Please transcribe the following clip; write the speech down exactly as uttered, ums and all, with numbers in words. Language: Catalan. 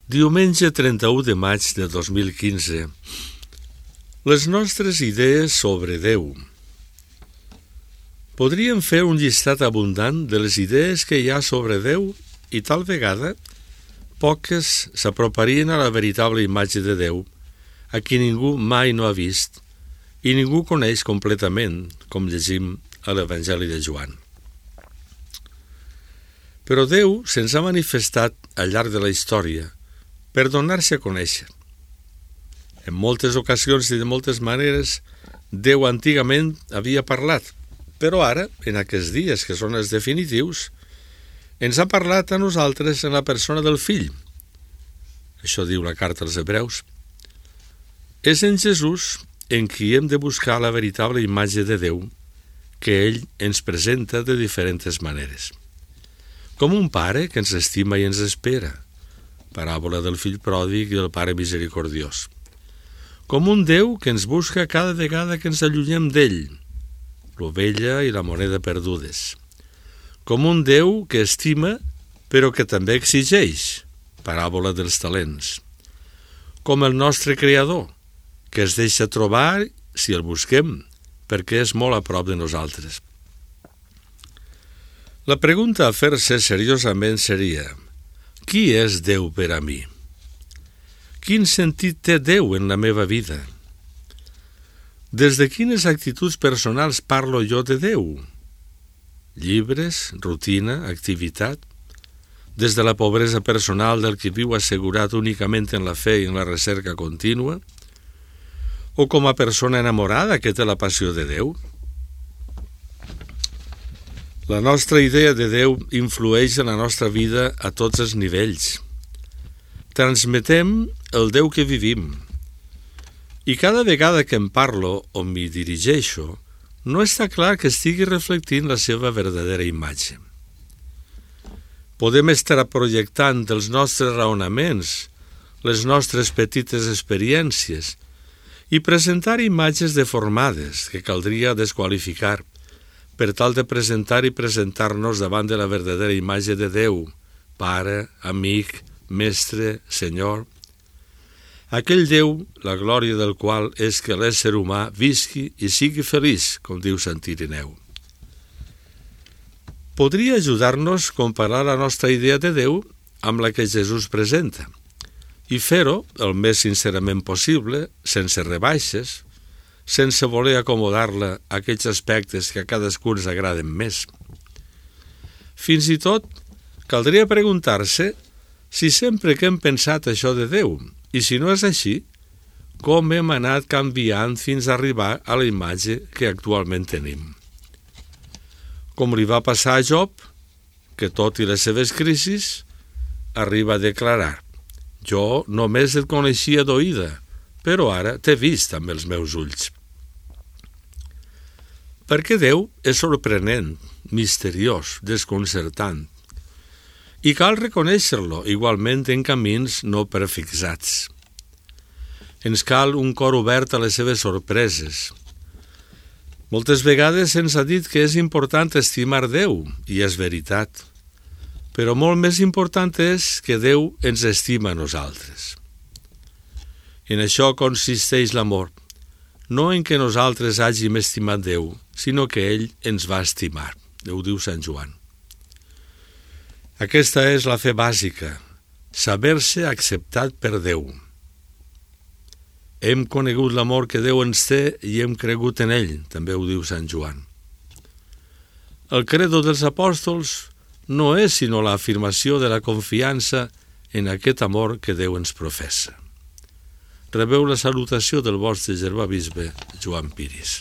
Diumenge trenta-u de maig de dos mil quinze. Les nostres idees sobre Déu. Podríem fer un llistat abundant de les idees que hi ha sobre Déu i tal vegada poques s'aproparien a la veritable imatge de Déu, a qui ningú mai no ha vist i ningú coneix completament, com llegim a l'Evangeli de Joan. Però Déu se'ns ha manifestat al llarg de la història per donar-se a conèixer. En moltes ocasions i de moltes maneres, Déu antigament havia parlat, però ara, en aquests dies que són els definitius, ens ha parlat a nosaltres en la persona del Fill. Això diu la carta als Hebreus. És en Jesús en qui hem de buscar la veritable imatge de Déu que ell ens presenta de diferents maneres. Com un pare que ens estima i ens espera, paràbola del fill pròdig i del pare misericordiós. Com un Déu que ens busca cada vegada que ens allunyem d'ell, l'ovella i la moneda perdudes. Com un Déu que estima però que també exigeix, paràbola dels talents. Com el nostre Creador, que es deixa trobar si el busquem, perquè és molt a prop de nosaltres. La pregunta a fer-se seriosament seria: qui és Déu per a mi? Quin sentit té Déu en la meva vida? Des de quines actituds personals parlo jo de Déu? Llibres, rutina, activitat? Des de la pobresa personal del que viu assegurat únicament en la fe i en la recerca contínua? O com a persona enamorada que té la passió de Déu? La nostra idea de Déu influeix en la nostra vida a tots els nivells. Transmetem el Déu que vivim. I cada vegada que en parlo o m'hi dirigeixo, no està clar que estigui reflectint la seva verdadera imatge. Podem estar projectant els nostres raonaments, les nostres petites experiències i presentar imatges deformades que caldria desqualificar per tal de presentar i presentar-nos davant de la verdadera imatge de Déu, Pare, Amic, Mestre, Senyor. Aquell Déu, la glòria del qual és que l'ésser humà visqui i sigui feliç, com diu Sant Ireneu. Podria ajudar-nos a comparar la nostra idea de Déu amb la que Jesús presenta i fer-ho el més sincerament possible, sense rebaixes, sense voler acomodar-la a aquells aspectes que a cadascú ens agraden més. Fins i tot, caldria preguntar-se si sempre que hem pensat això de Déu, i si no és així, com hem anat canviant fins a arribar a la imatge que actualment tenim. Com li va passar a Job, que tot i les seves crisis, arriba a declarar: jo només et coneixia d'oïda, però ara t'he vist amb els meus ulls. Perquè Déu és sorprenent, misteriós, desconcertant. I cal reconèixer-lo igualment en camins no prefixats. Ens cal un cor obert a les seves sorpreses. Moltes vegades se'ns ha dit que és important estimar Déu, i és veritat. Però molt més important és que Déu ens estima a nosaltres. En això consisteix l'amor, no en que nosaltres hàgim estimat Déu, sinó que ell ens va estimar. Ho diu Sant Joan. Aquesta és la fe bàsica, saber-se acceptat per Déu. Hem conegut l'amor que Déu ens té i hem cregut en ell, també ho diu Sant Joan. El credo dels apòstols no és sinó l'afirmació de la confiança en aquest amor que Déu ens professa. Rebeu la salutació del vostre germà bisbe Joan Piris.